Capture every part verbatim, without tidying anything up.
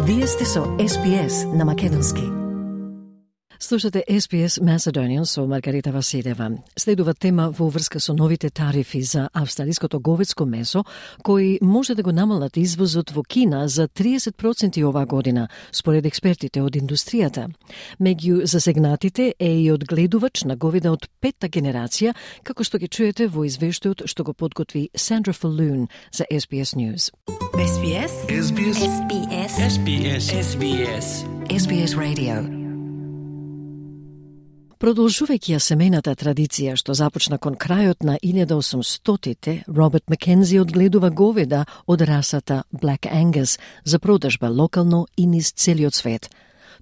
Вие сте со Ес Би Ес на македонски. Слушате Ес Би Ес Macedonian со Маргарита Василева. Следува тема во врска со новите тарифи за австралиското говедско месо, кои може да го намалат извозот во Кина за триесет проценти оваа година, според експертите од индустријата. Меѓу засегнатите е и одгледувач на говеда од петта генерација, како што ги чуете во извештајот што го подготви Сандра Фалун за Ес Би Ес News. Ес Би Ес. Ес Би Ес. Ес Би Ес. Ес Би Ес. Ес Би Ес. Ес Би Ес Radio. Продолжувајќи ја семејната традиција што започна кон крајот на илјада и осумстотите, Роберт Маккензи одгледува говеда од расата Black Angus за продажба локално и низ целиот свет.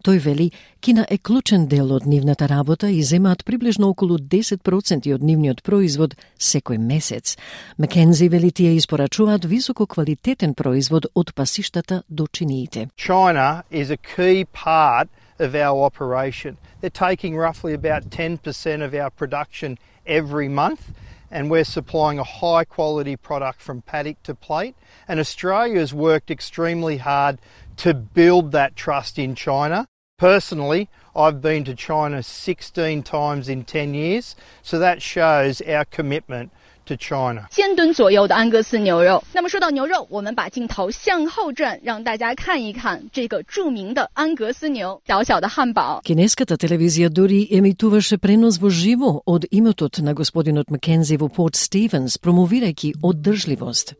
Тој вели, Кина е клучен дел од нивната работа и земаат приближно околу десет проценти од нивниот производ секој месец. Маккензи вели тие испорачуваат високо квалитетен производ од пасиштата до чиниите. China is a key part of our operation. They're taking roughly about ten percent of our production every month, and we're supplying a high quality product from paddock to plate. And Australia has worked extremely hard to build that trust in China. Personally, I've been to China sixteen times in ten years, so that shows our commitment to China. 千吨左右的安格斯牛肉。那么说到牛肉，我们把镜头向后转，让大家看一看这个著名的安格斯牛，小小的汉堡。 Кинеската телевизија дури емитуваше пренос во живо од имотот на господинот Маккензи во Порт Стивенс, промовирајќи оддржливост.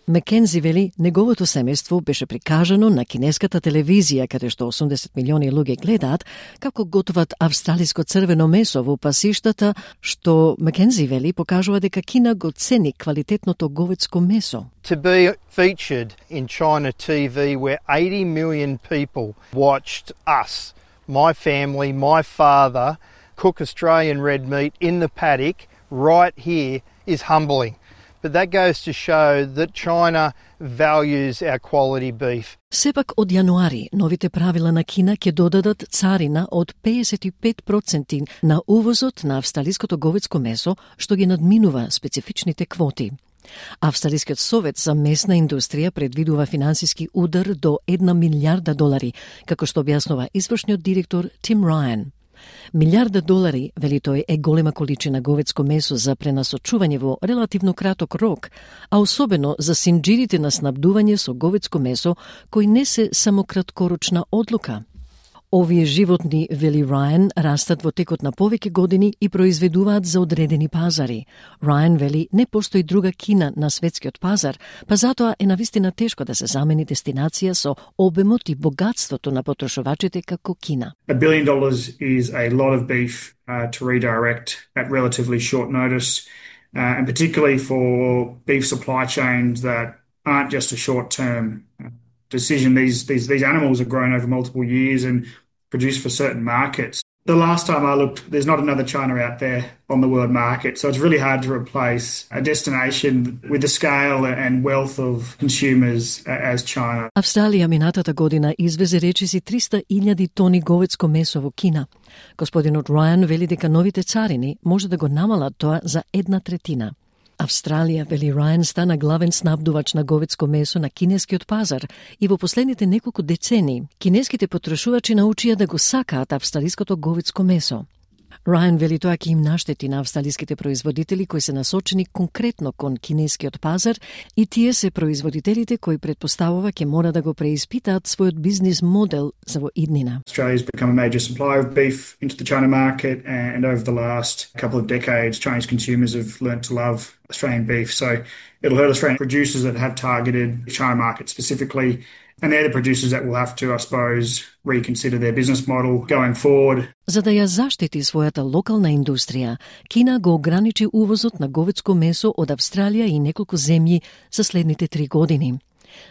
Маккензи вели, неговото семејство беше прикажано на кинеската телевизија, каде што осумдесет милиони луѓе гледаат, како готват австралиско црвено месо во пасиштата, што Маккензи вели покажува дека Кина го цени квалитетното говедско месо. To be featured in China T V where eighty million people watched us, my family, my father, cook Australian red meat in the paddock right here is humbling. But that goes to show that China values our quality beef. Сепак од јануари новите правила на Кина ќе додадат царина од педесет и пет проценти на увозот на австралиското говедско месо, што ги надминува специфичните квоти. Австралискиот совет за месна индустрија предвидува финансиски удар до една милијарда долари, како што објаснува извршниот директор Тим Рајан. Милијарда долари, вели тој, е голема количина говедско месо за пренасочување во релативно краток рок, а особено за синџирите на снабдување со говедско месо, кои не се само краткорочна одлука. Овие животни, вели Рајан, растат во текот на повеќе години и произведуваат за одредени пазари. Рајан вели, не постои друга Кина на светскиот пазар, па затоа е навистина тешко да се замени дестинација со обемот и богатството на потрошувачите како Кина. A billion dollars is a lot of beef uh, to redirect at relatively short notice, uh, and particularly for beef supply chains that aren't just a short-term uh, decision. These, these, these animals are grown over multiple years and produced for certain markets. The last time I looked, there's not another China out there on the world market, so it's really hard to replace a destination with the scale and wealth of consumers as China. Австралија минатата година извезе речиси триста илјади тони говедско месо во Кина. Господинот Рајан вели дека новите царини може да го намалат тоа за една третина. Австралија, вели Рајан, стана главен снабдувач на говедско месо на кинескиот пазар и во последните неколку децении кинеските потрошувачи научија да го сакаат австралиското говедско месо. Рајан вели тоа ќе им наштети на австралиските производители кои се насочени конкретно кон кинескиот пазар и тие се производителите кои предпоставува ќе мора да го преиспитаат својот бизнис модел за во иднина. Australia's become a major supplier of beef into the China market, and over the last couple of decades Chinese consumers have learnt to love Australian beef, so it'll hurt Australian producers that have targeted the China market specifically. And they're the producers that will have to, I suppose, reconsider their business model going forward. За да ја заштити својата локална индустрија, Кина го ограничи увозот на говедско месо од Австралија и неколку земји за следните три години.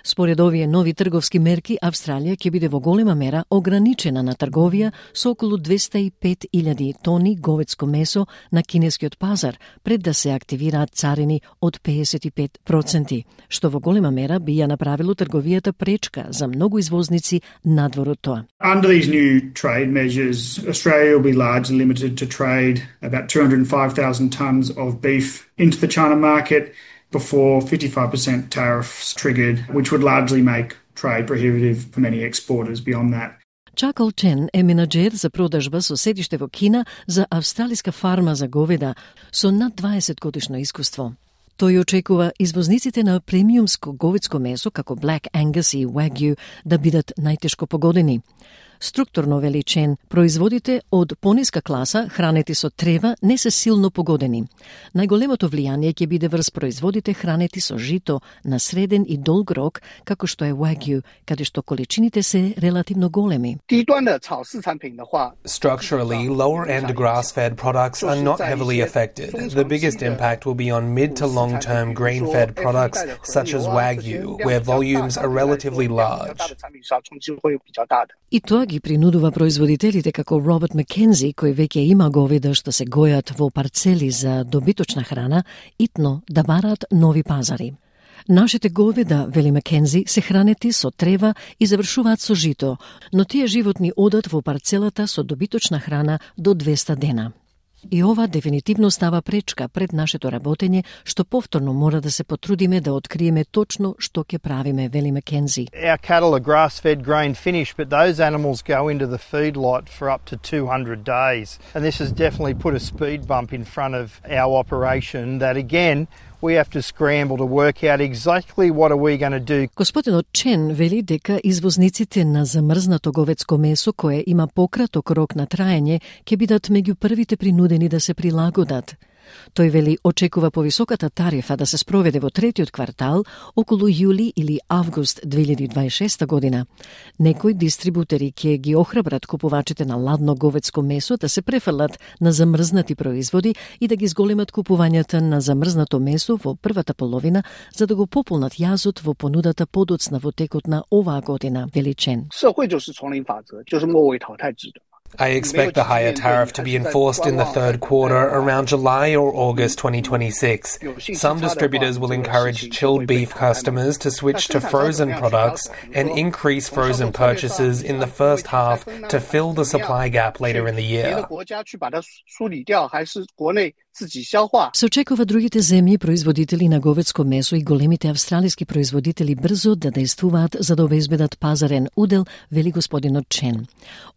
Според овие нови трговски мерки, Австралија ќе биде во голема мера ограничена на трговија со околу двеста и пет илјади тони говедско месо на кинескиот пазар, пред да се активираат царини од педесет и пет проценти, што во голема мера би ја направило трговијата пречка за многу извозници надвор од тоа. Under these new trade measures, Australia will be largely limited to trade about two hundred five thousand tonnes of beef into the China market before fifty-five percent tariffs triggered, which would largely make trade prohibitive for many exporters beyond that. Чакал Чен е менаџер за продажба со седиште во Кина за австралиска фарма за говеда со над дваесет годишно искуство. Тој очекува извозниците на премиумско говедско месо како Black Angus и Wagyu да бидат најтешко погодени. Структурно, вели Чен, производите од пониска класа, хранети со трева, не се силно погодени. Најголемото влијание ќе биде врз производите хранети со жито на среден и долг рок, како што е Wagyu, каде што количините се релативно големи. Structurally, lower-end grass-fed products are not heavily affected. The biggest impact will be on mid to long-term grain-fed products such as Wagyu, where volumes are relatively large. И тоа ги принудува производителите како Роберт Маккензи, кој веќе има говеда што се гојат во парцели за добиточна храна, итно да бараат нови пазари. Нашите говеда, вели Маккензи, се хранети со трева и завршуваат со жито, но тие животни одат во парцелата со добиточна храна до двеста дена. И ова дефинитивно става пречка пред нашето работење, што повторно мора да се потрудиме да откриеме точно што ќе правиме, вели Маккензи. Our cattle are grass-fed, grain-finished, but those animals go into the feedlot for up to two hundred days. And this has definitely put a speed bump in front of our operation that, again, we have to scramble to work out exactly what are we going to do. Господинот Чен вели дека извозниците на замрзнато говедско месо кое има пократок рок на траење ќе бидат меѓу првите принудени да се прилагодат. Тој вели очекува повисоката тарифа да се спроведе во третиот квартал околу јули или август две илјади дваесет и шеста година. Некои дистрибутери ќе ги охрабрат купувачите на ладно говедско месо да се префрлат на замрзнати производи и да ги зголемат купувањата на замрзнато месо во првата половина за да го пополнат јазот во понудата подоцна во текот на оваа година, вели Чен. I expect the higher tariff to be enforced in the third quarter around July or August twenty twenty-six. Some distributors will encourage chilled beef customers to switch to frozen products and increase frozen purchases in the first half to fill the supply gap later in the year. Се очекува другите земји производители на говедско месо и големите австралиски производители брзо да действуваат за да обезбедат пазарен удел, вели господинот Чен.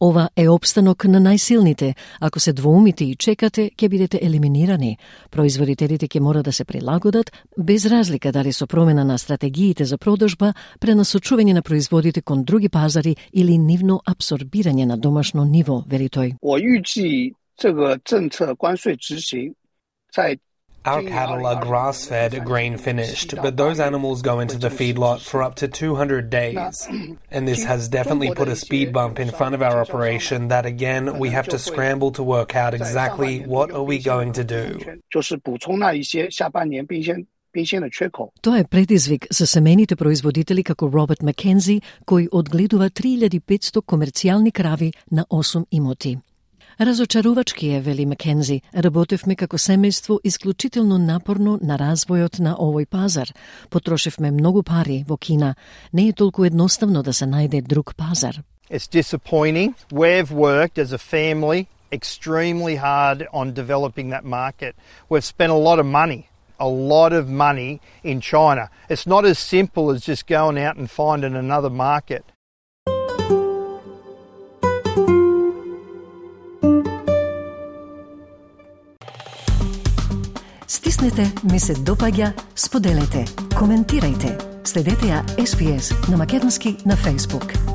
Ова е опстанок на најсилните. Ако се двоумите и чекате, ќе бидете елиминирани. Производителите ќе мора да се прилагодат, без разлика дали со промена на стратегиите за продажба, пренасочување на производите кон други пазари или нивно абсорбирање на домашно ниво, вели тој. Our cattle are grass-fed, grain-finished, but those animals go into the feedlot for up to two hundred days. And this has definitely put a speed bump in front of our operation that, again, we have to scramble to work out exactly what are we going to do. Тоа е предизвик за семејните производители како Роберт Маккензи, кој одгледува три илјади и петстотини комерцијални крави на осум имоти. Разочарувачки е, вели Маккензи, работевме како семејство исклучително напорно на развојот на овој пазар. Потрошевме многу пари во Кина. Не е толку едноставно да се најде друг пазар. It's disappointing. We've worked as a family extremely hard on developing that market. We've spent a lot of money, a lot of money in China. It's not as simple as just going out and finding another market. Стиснете, ми се допаѓа, споделете, коментирајте. Следете ја Ес Би Ес на македонски на Facebook.